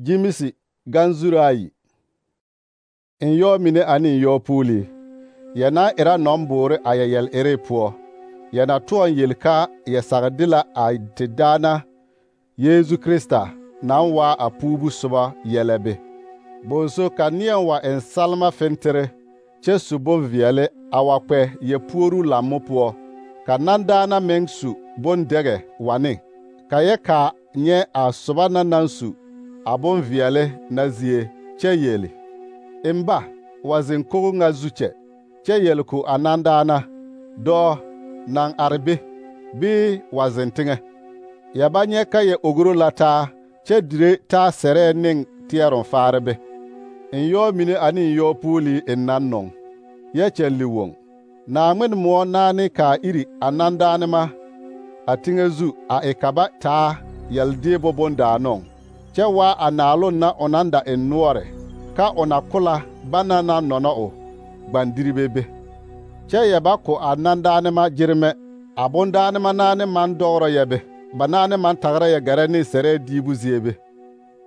Jimisi ganzuro ayi. Nyɔɔ mine ane nyɔɔ puuli. Yɛ na era nɔmboore a yɛ yɛl-ere poɔ. Yɛ na tʋɔŋ yel ka yɛ sag de la a te daana Yeezu Krista naŋ waa a puubu soba yɛlɛ be. Bonso ka neɛ wa eŋ salma fentere kyɛ su bonveɛle a wa kpɛ yɛ puoruu lammo poɔ. Ka nandaana meŋ su bondɛgɛ wa ne. Ka yɛ kaa nyɛ a soba na naŋ su a bonveɛle na zie kyɛ yeli: Emba, wa zeŋ kogo ŋa zu kyɛ yel ko a nandaana: Dɔɔ, naŋ are be, bii wa zeŋ teŋɛ. Yɛ ba nyɛ ka yɛ ogro la taa kyɛ dire taa sɛrɛɛ ne teɛroŋ faare be. Nyɔɔ mine ane nyɔɔ puuli en nan nɔŋ, yɛ kyɛlli woŋ. Naaŋmen moɔ naane kaa iri a nandaanema a teŋɛ zu a e ka ba taa yɛldeebo bondaanɔŋ, kyɛ waa a naaloŋ na o naŋ da eŋ noɔre, ka o na ko la bana naŋ nɔnɔ o gbandiribe be. Kyɛ yɛ ba ko a nandaanema gyeremɛ, a bondaanema naane maŋ dɔgrɔ yɛ be, ba naane maŋ tagra yɛ gɛrɛ ne sɛrɛɛ diibu zie be.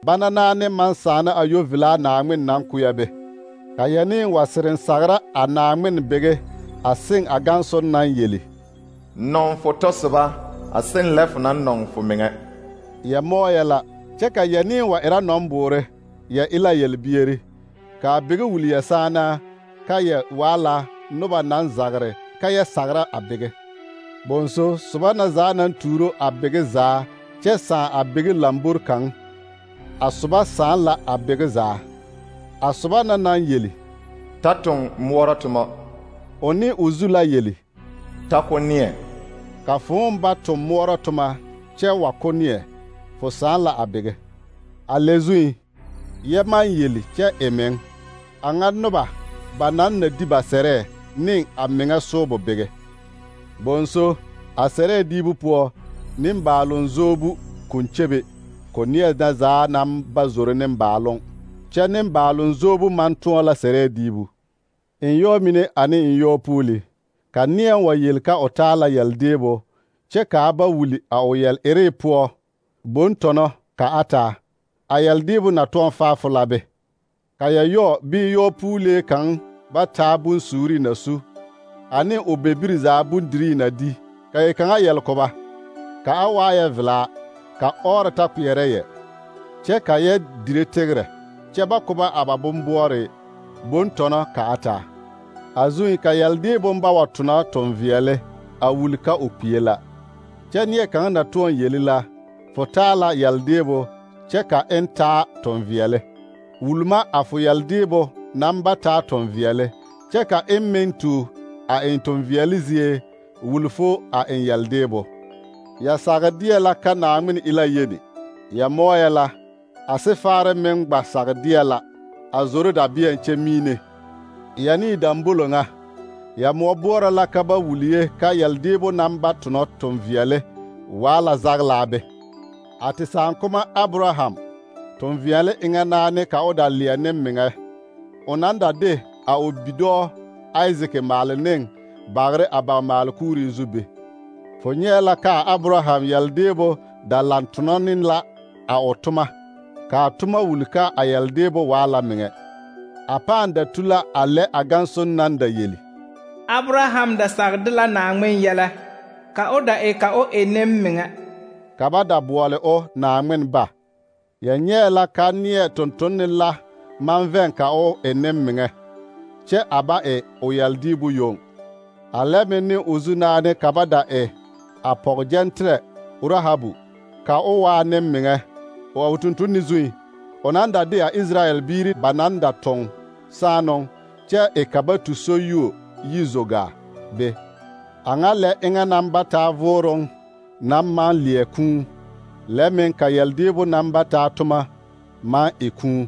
Bana naane maŋ sãana a yovilaa Naaŋmen naŋ ko yɛ be. Ka yɛ ne wa sereŋ sagra a Naaŋmen bege a seŋ a gãnson naŋ yeli: Nɔŋ fo tɔsoba, a seŋ lɛ fo naŋ nɔŋ fo meŋɛ. Yɛ mɔɔyɛ la, kyɛ ka yɛ ne wa era nɔmboore, yɛ e la yelbieri. Ka a bege wuli yɛ sãanaa, ka yɛ waa la noba naŋ zagre ka yɛ sagra a bege. Bonso soba na zaa naŋ tuuro a bege zaa kyɛ sãã a bege lambori kaŋ, a soba sãã la a bege zaa. A soba na naŋ yeli: Ta toŋ moɔrɔ toma, o ne o zu la yeli: Ta ko neɛ. Ka fõõ ba toŋ moɔrɔ toma kyɛ wa ko neɛ, fo sãã la a bege. A lɛ zuŋ, yɛ maŋ yeli kyɛ e meŋ, a ŋa noba ba naŋ na di ba sɛrɛɛ ne a meŋɛ soobo bege. Bonso, a sɛrɛɛ diibu poɔ, nembaaloŋ zoobu kõn kyebe, ko neɛ na zaa naŋ ba zoro nembaaloŋ, kyɛ nembaaloŋ zoobu maŋ tõɔ la sɛrɛɛ diibu. Nyɔɔ mine ane nyɔɔ puuli. Ka neɛ wa yel ka o taa la yɛldeebo, kyɛ kaa ba wuli a o yɛl-ere poɔ bontɔnɔ ka a taa, a yɛldeebo na tõɔ faafo la be. Ka yɛ yɔɔ bii yɔɔ puulee kaŋ ba taa bonsuuri na su, ane o bebiri zaa bondirii na di, ka yɛ kaŋa yɛl ko ba, ka a waa yɛ velaa, ka ɔɔre ta kpeɛrɛ yɛ, kyɛ ka yɛ dire tegrɛ, kyɛ ba ko ba a ba bomboɔre bontɔnɔ ka a taa. A zuŋ ka yɛldeebo ba wa tona tɔnveɛle a wuli ka o kpie la. Kyɛ neɛ kaŋ na tõɔ yeli la: Fo taa la yɛldeebo kyɛ ka eŋ taa tɔnveɛle. Wulma a fo yɛldeebo naŋ ba taa tɔnveɛle, kyɛ ka eŋ meŋ tu a eŋ tɔnveɛle zie wuli fo a eŋ yɛldeebo. Yɛ sagdeɛ la ka Naaŋmen e la yeni. Yɛ mɔɔyɛ la, a sefaare meŋ gba sagdeɛ la, a zoro dabeɛŋ kyɛ miine. Yɛ ne dambolo ŋa, yɛ moɔ boɔrɔ la ka ba wuli ye ka yɛldeebo naŋ ba tonɔ tɔnveɛle waa la zaglaa be. A te saaŋkoma Abraham, tɔnveɛle eŋɛ naane ka o da leɛ ne meŋɛ, o naŋ da de a o bidɔɔ Aizik maale ne bagre a ba maalekuuri zu be. Fo nyɛɛ la ka a Abraham yɛldeebo da laŋ tonɔ ne la a o toma, ka a toma wuli ka a yɛldeebo waa la meŋɛ. A pãã da tu la a lɛ a gãnson naŋ da yeli: Abraham da sagde la Naaŋmen yɛlɛ, ka o da e ka o e nemmeŋɛ. Ka ba da boɔle o Naaŋmen ba. Yɛ nyɛɛ la ka neɛ tontonne la maŋ vɛŋ ka o e nemmeŋɛ, kyɛ a ba e o yɛldiibu yoŋ. A lɛ meŋ ne o zu naane ka ba da e a pɔgegyɛnterɛ Rahabu, ka o waa nemmeŋɛ, o a o tontonni zuŋ, o naŋ da de a Israyɛl biiri ba naŋ da tɔŋ saanoŋ, kyɛ e ka ba tu soyuo yi zogaa be. A ŋa lɛ eŋɛ naŋ ba taa vooroŋ naŋ maŋ leɛ kũu, lɛ meŋ ka yɛldeebo naŋ ba taa toma maŋ e kũu.